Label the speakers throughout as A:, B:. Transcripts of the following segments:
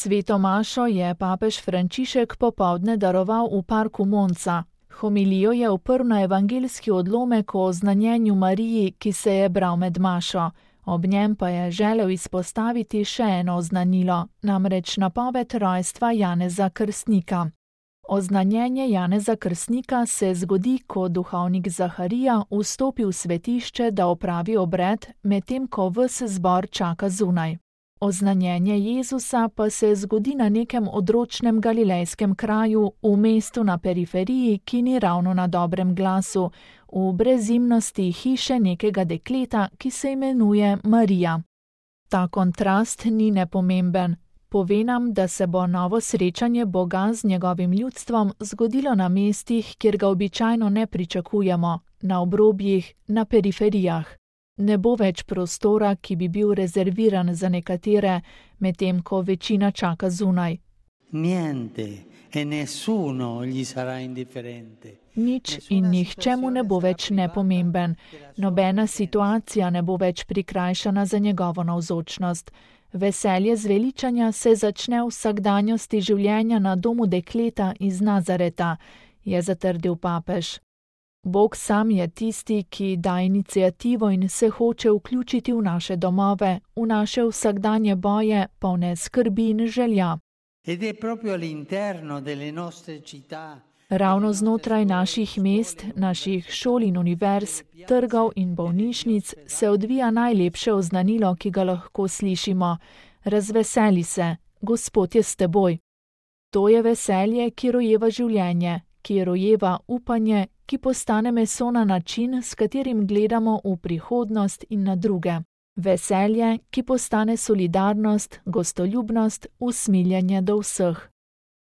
A: Sveto mašo je papež Frančišek popoldne daroval v parku Monza. Homilijo je uprl na evangeljski odlomek o oznanjenju Mariji, ki se je bral med mašo. Ob njem pa je želel izpostaviti še eno oznanilo, namreč napoved rojstva Janeza Krstnika. Oznanjenje Janeza Krstnika se zgodi, ko duhovnik Zaharija vstopi v svetišče, da opravi obred, medtem ko ves zbor čaka zunaj. Oznanjenje Jezusa pa se zgodi na nekem odročnem galilejskem kraju, v mestu na periferiji, ki ni ravno na dobrem glasu, v brezimnosti hiše nekega dekleta, ki se imenuje Marija. Ta kontrast ni nepomemben. Pove nam, da se bo novo srečanje Boga z njegovim ljudstvom zgodilo na mestih, kjer ga običajno ne pričakujemo, na obrobjih, na periferijah. Ne bo več prostora, ki bi bil rezerviran za nekatere, medtem ko večina čaka zunaj. Nič in nihče mu ne bo več nepomemben. Nobena situacija ne bo več prikrajšana za njegovo navzočnost. Veselje zveličanja se začne v vsakdanjosti življenja na domu dekleta iz Nazareta, je zatrdil papež. Bog sam je tisti, ki da iniciativo in se hoče vključiti v naše domove, v naše vsakdanje boje, polne skrbi in želja. Ravno znotraj naših mest, naših šol in univerz, trgov in bolnišnic se odvija najlepše oznanilo, ki ga lahko slišimo. Razveseli se, Gospod je s teboj. To je veselje, ki rojeva življenje, ki rojeva upanje, ki postane meso na način, s katerim gledamo v prihodnost in na druge. Veselje, ki postane solidarnost, gostoljubnost, usmiljenje do vseh.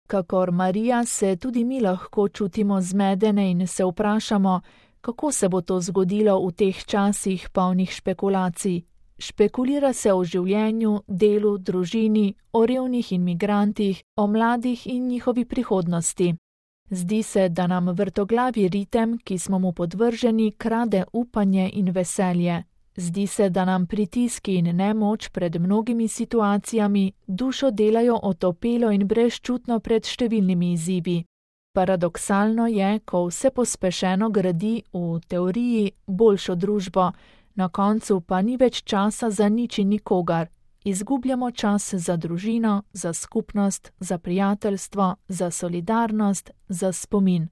A: Kakor Marija se tudi mi lahko čutimo zmedene in se vprašamo, kako se bo to zgodilo v teh časih polnih špekulacij. Špekulira se o življenju, delu, družini, o revnih in migrantih, o mladih in njihovi prihodnosti. Zdi se, da nam vrtoglavi ritem, ki smo mu podvrženi, krade upanje in veselje. Zdi se, da nam pritiski in nemoč pred mnogimi situacijami dušo delajo otopelo in brezčutno pred številnimi izzivi. Paradoksalno je, ko vse pospešeno gradi v teoriji boljšo družbo, na koncu pa ni več časa za nič in nikogar. Izgubljamo čas za družino, za skupnost, za prijateljstvo, za solidarnost, za spomin.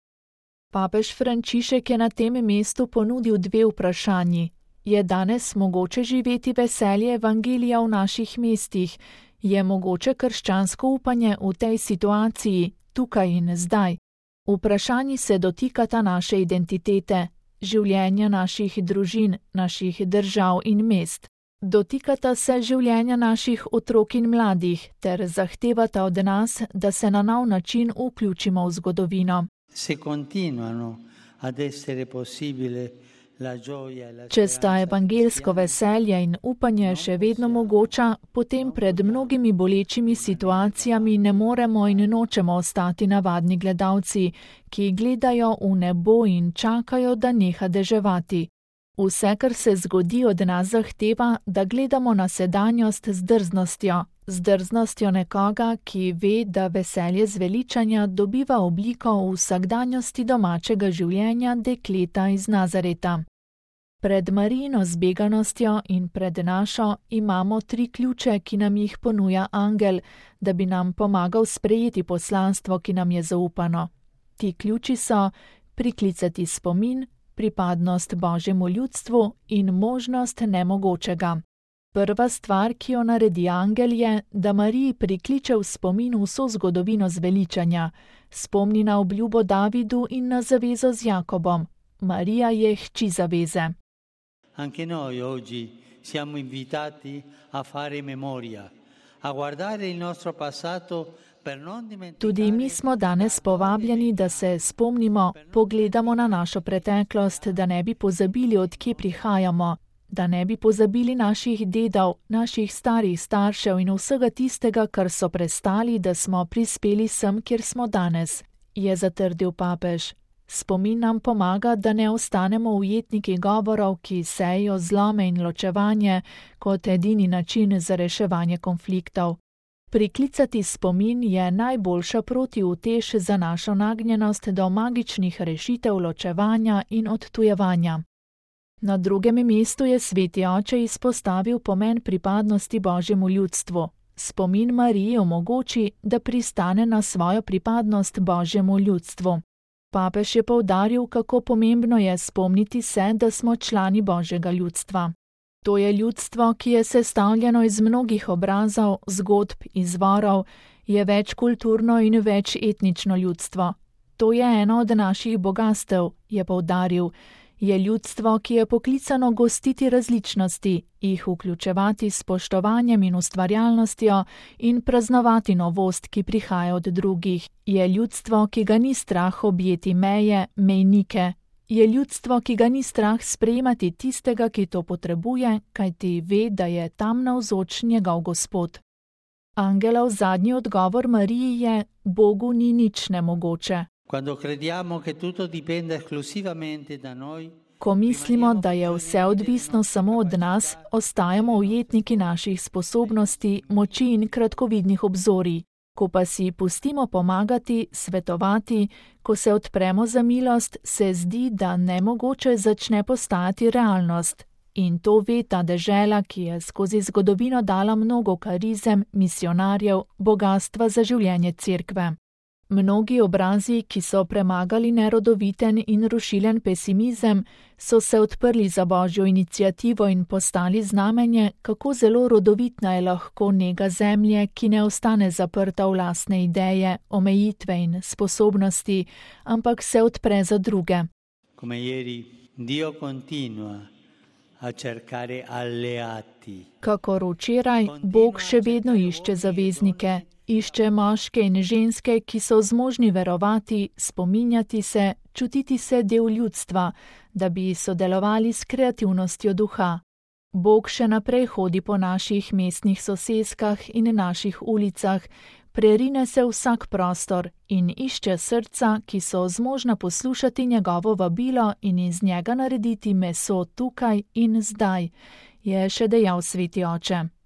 A: Papež Frančišek je na tem mestu ponudil dve vprašanji. Je danes mogoče živeti veselje evangelija v naših mestih? Je mogoče krščansko upanje v tej situaciji, tukaj in zdaj? Vprašanji se dotikata naše identitete, življenja naših družin, naših držav in mest. Dotikata se življenja naših otrok in mladih ter zahtevata od nas, da se na nov način vključimo v zgodovino. Če sta evangeljsko veselje in upanje še vedno mogoča, potem pred mnogimi bolečimi situacijami ne moremo in nočemo ostati navadni gledalci, ki gledajo v nebo in čakajo, da neha deževati. Vse, kar se zgodi, od nas zahteva, da gledamo na sedanjost z drznostjo nekoga, ki ve, da veselje zveličanja dobiva obliko v vsakdanjosti domačega življenja dekleta iz Nazareta. Pred Marijino zbeganostjo in pred našo imamo 3 ključe, ki nam jih ponuja angel, da bi nam pomagal sprejeti poslanstvo, ki nam je zaupano. Ti ključi so priklicati spomin, pripadnost Božjemu ljudstvu in možnost nemogočega. Prva stvar, ki jo naredi angel, je, da Mariji prikliče v spomin vso zgodovino zveličanja, spomni na obljubo Davidu in na zavezo z Jakobom. Marija je hči zaveze.
B: Anche noi oggi siamo invitati a fare memoria, a guardare il nostro passato.
A: Tudi mi smo danes povabljeni, da se spomnimo, pogledamo na našo preteklost, da ne bi pozabili, od kje prihajamo, da ne bi pozabili naših dedov, naših starih staršev in vsega tistega, kar so prestali, da smo prispeli sem, kjer smo danes, je zatrdil papež. Spomin nam pomaga, da ne ostanemo ujetniki govorov, ki sejo zlome in ločevanje kot edini način za reševanje konfliktov. Priklicati spomin je najboljša protiutež za našo nagnjenost do magičnih rešitev ločevanja in odtujevanja. Na drugem mestu je sveti oče izpostavil pomen pripadnosti Božjemu ljudstvu. Spomin Mariji omogoči, da pristane na svojo pripadnost Božjemu ljudstvu. Papež je poudaril, kako pomembno je spomniti se, da smo člani Božjega ljudstva. To je ljudstvo, ki je sestavljeno iz mnogih obrazov, zgodb, izvorov, je večkulturno in večetnično ljudstvo. To je eno od naših bogastev, je poudaril. Je ljudstvo, ki je poklicano gostiti različnosti, jih vključevati s spoštovanjem in ustvarjalnostjo in praznovati novost, ki prihaja od drugih. Je ljudstvo, ki ga ni strah objeti meje, mejnike. Je ljudstvo, ki ga ni strah sprejemati tistega, ki to potrebuje, kajti ve, da je tam navzoč njegov Gospod. Angelov zadnji odgovor Mariji je: Bogu ni nič nemogoče. Ko mislimo, da je vse odvisno samo od nas, ostajamo ujetniki naših sposobnosti, moči in kratkovidnih obzorij. Ko pa si pustimo pomagati, svetovati, ko se odpremo za milost, se zdi, da nemogoče začne postajati realnost. In to ve ta dežela, ki je skozi zgodovino dala mnogo karizem, misionarjev, bogastva za življenje cerkve. Mnogi obrazi, ki so premagali nerodoviten in rušilen pesimizem, so se odprli za Božjo iniciativo in postali znamenje, kako zelo rodovitna je lahko nega zemlje, ki ne ostane zaprta v lastne ideje, omejitve in sposobnosti, ampak se odpre za druge. Kakor včeraj, Bog še vedno išče zaveznike. Išče moške in ženske, ki so zmožni verovati, spominjati se, čutiti se del ljudstva, da bi sodelovali s kreativnostjo duha. Bog še naprej hodi po naših mestnih soseskah in naših ulicah, prerine se vsak prostor in išče srca, ki so zmožna poslušati njegovo vabilo in iz njega narediti meso tukaj in zdaj, je še dejal sveti oče.